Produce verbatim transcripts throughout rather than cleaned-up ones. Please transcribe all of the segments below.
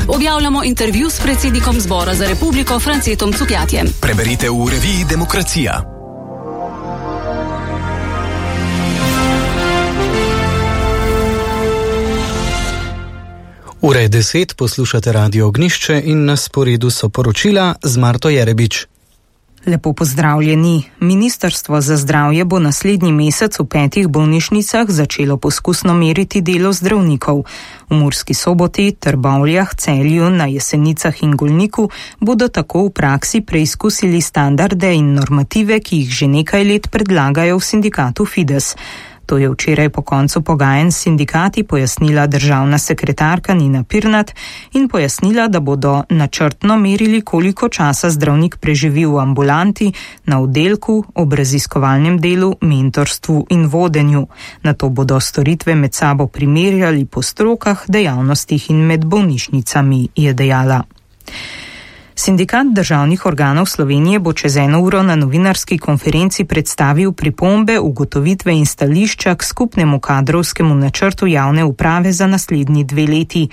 Objavljamo intervju s predsednikom zbora za republiko Francetom Cukjatjem. Preberite v reviji Demokracija. Ura je deset, poslušate Radio Ognišče in na sporedu so poročila z Marto Jerebič. Lepo pozdravljeni. Ministrstvo za zdravje bo naslednji mesec v petih bolnišnicah začelo poskusno meriti delo zdravnikov. V Murski Soboti, Trbovljah, Celju, na Jesenicah in Golniku bodo tako v praksi preizkusili standarde in normative, ki jih že nekaj let predlagajo v sindikatu Fides. To je včeraj po koncu pogajanj s sindikati pojasnila državna sekretarka Nina Pirnat in pojasnila, da bodo načrtno merili, koliko časa zdravnik preživi v ambulanti, na oddelku, ob raziskovalnem delu, mentorstvu in vodenju. Nato bodo storitve med sabo primerjali po strokah, dejavnostih in med bolnišnicami, je dejala. Sindikat državnih organov Slovenije bo čez eno uro na novinarski konferenci predstavil pripombe, ugotovitve in stališča k skupnemu kadrovskemu načrtu javne uprave za naslednji dve leti.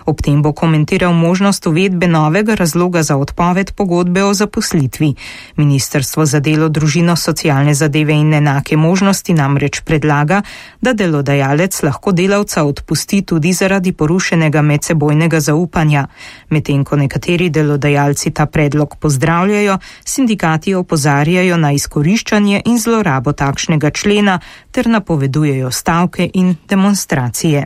Ob tem bo komentiral možnost uvedbe novega razloga za odpoved pogodbe o zaposlitvi. Ministrstvo za delo, družino, socialne zadeve in enake možnosti namreč predlaga, da delodajalec lahko delavca odpusti tudi zaradi porušenega medsebojnega zaupanja. Medtem ko nekateri delodajalci ta predlog pozdravljajo, sindikati opozarjajo na izkoriščanje in zlorabo takšnega člena ter napovedujejo stavke in demonstracije.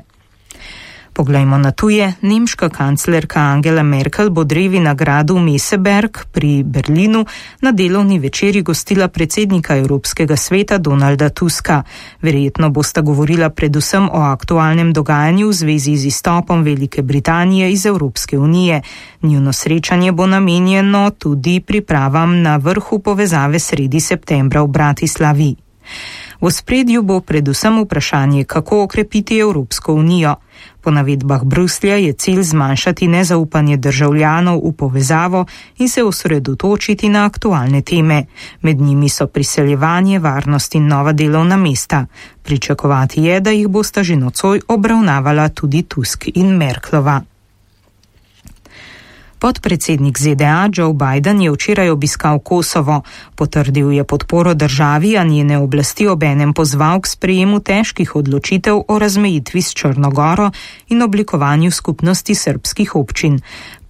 Poglejmo na tuje. Nemška kanclerka Angela Merkel bo drevi nagradu Meseberg pri Berlinu na delovni večeri gostila predsednika Evropskega sveta Donalda Tuska. Verjetno bosta govorila predvsem o aktualnem dogajanju v zvezi z izstopom Velike Britanije iz Evropske unije. Njuno srečanje bo namenjeno tudi pripravam na vrhu povezave sredi septembra v Bratislavi. V ospredju bo predvsem vprašanje, kako okrepiti Evropsko unijo. Po navedbah Bruslja je cilj zmanjšati nezaupanje državljanov v povezavo in se osredotočiti na aktualne teme. Med njimi so priseljevanje, varnost in nova delovna mesta. Pričakovati je, da jih bosta že nocoj obravnavala tudi Tusk in Merklova. Podpredsednik Z D A Joe Biden je včeraj obiskal Kosovo. Potrdil je podporo državi, a njene oblasti obenem pozval k sprejemu težkih odločitev o razmejitvi s Črno Goro in oblikovanju skupnosti srbskih občin.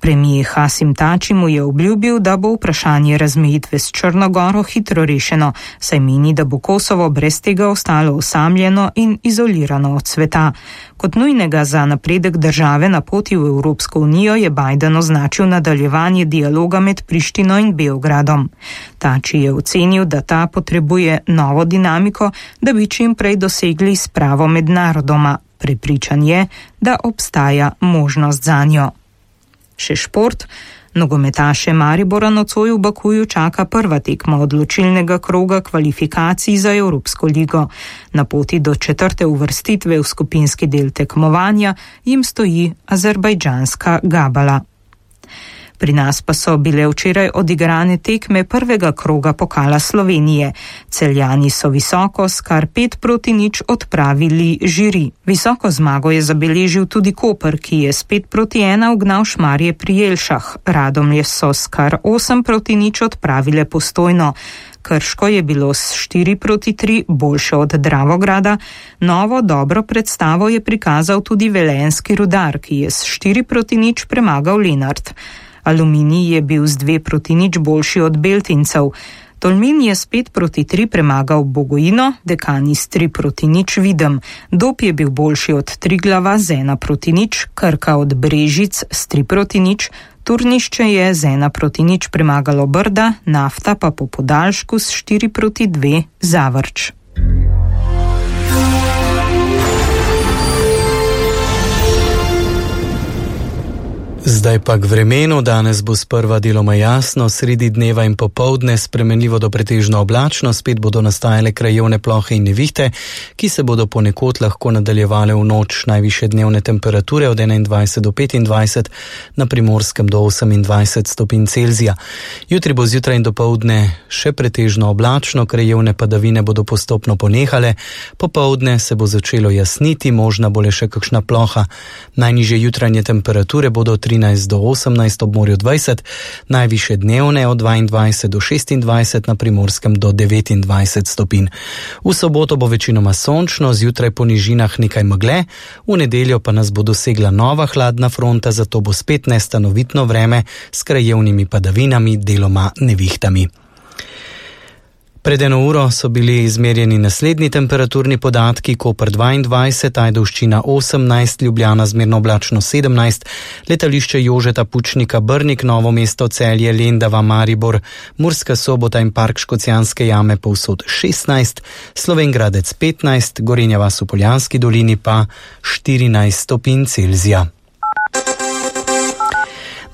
Premijer Hasim Tači mu je obljubil, da bo vprašanje razmejitve s Črno Goro hitro rešeno, saj meni, da bo Kosovo brez tega ostalo osamljeno in izolirano od sveta. Kot nujnega za napredek države na poti v Evropsko unijo je Biden označil nadaljevanje dialoga med Prištino in Beogradom. Tači je ocenil, da ta potrebuje novo dinamiko, da bi čim prej dosegli spravo med narodoma. Prepričan je, da obstaja možnost zanjo. Še šport. Nogometaše Maribora nocoj v Bakuju čaka prva tekma odločilnega kroga kvalifikacij za Evropsko ligo. Na poti do četrte uvrstitve v skupinski del tekmovanja jim stoji azerbajdžanska Gabala. Pri nas pa so bile včeraj odigrane tekme prvega kroga pokala Slovenije. Celjani so visoko s kar pet proti nič odpravili Žiri. Visoko zmago je zabeležil tudi Koper, ki je s pet proti ena ugnal Šmarje pri Jelšah. Radomlje so s kar osem proti nič odpravile Postojno. Krško je bilo s štiri proti tri boljše od Dravograda. Novo dobro predstavo je prikazal tudi Velenjski Rudar, ki je s štiri proti nič premagal Lenart. Aluminij je bil z dve proti nič boljši od Beltincev. Tolmin je s pet proti tri premagal Bogojino, Dekani s tri proti nič Videm. Dob je bil boljši od Triglava z ena proti nič, Krka od Brežic s tri proti nič, Turnišče je z ena proti nič premagalo Brda, Nafta pa po podaljšku s štiri proti dve Zavrč. Zdaj pa k vremenu. Danes bo sprva deloma jasno, sredi dneva in popoldne spremenljivo do pretežno oblačno, spet bodo nastajale krajevne plohe in nevihte, ki se bodo ponekod lahko nadaljevale v noč. Najvišje dnevne temperature od enaindvajset do petindvajset, na Primorskem do osemindvajset stopinj Celzija. Jutri bo zjutraj in dopoldne še pretežno oblačno, krajevne padavine bodo postopno ponehale, popoldne se bo začelo jasniti, možna bo le še kakšna ploha. Najnižje jutranje temperature bodo trinajst do osemnajst, ob morju dvajset, najvišje dnevne od dvaindvajset do šestindvajset, na Primorskem do devetindvajset stopinj. V soboto bo večinoma sončno, zjutraj po nižinah nekaj megle, v nedeljo pa nas bo dosegla nova hladna fronta, zato bo spet nestanovitno vreme s krajevnimi padavinami, deloma nevihtami. Pred eno uro so bili izmerjeni naslednji temperaturni podatki: Koper dvaindvajset, Ajdovščina osemnajst, Ljubljana zmerno oblačno sedemnajst, letališče Jožeta Pučnika Brnik, Novo mesto, Celje, Lendava, Maribor, Murska Sobota in Park Škocjanske jame povsod šestnajst, Slovenj Gradec petnajst, Gorenja vas v Poljanski dolini pa štirinajst stopinj Celzija.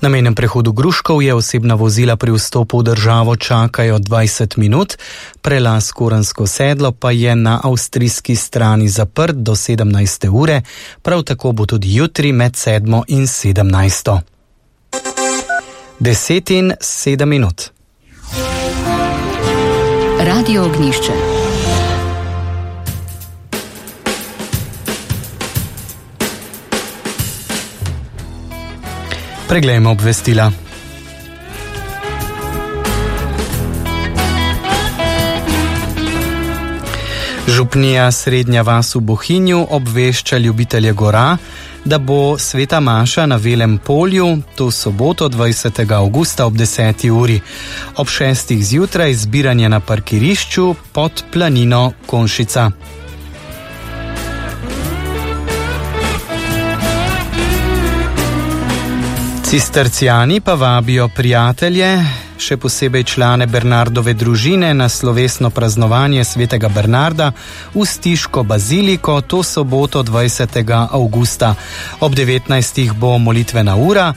Na mejnem prehodu Gruškovje osebna vozila pri vstopu v državo čakajo dvajset minut, prelaz Korensko sedlo pa je na avstrijski strani zaprt do sedemnajste ure, prav tako bo tudi jutri med sedmo in sedemnajsto. Deset in sedem minut. Radio Ognjišče. Preglejmo obvestila. Župnija Srednja vas v Bohinju obvešča ljubitelje gora, da bo sveta maša na Velem polju to soboto dvajsetega avgusta ob deseti uri. Ob šestih zjutraj zbiranje na parkirišču pod planino Konšica. Cistercijani pa vabijo prijatelje, še posebej člane Bernardove družine, na slovesno praznovanje svetega Bernarda v Stiško baziliko to soboto dvajsetega avgusta. Ob devetnajstih bo molitvena ura,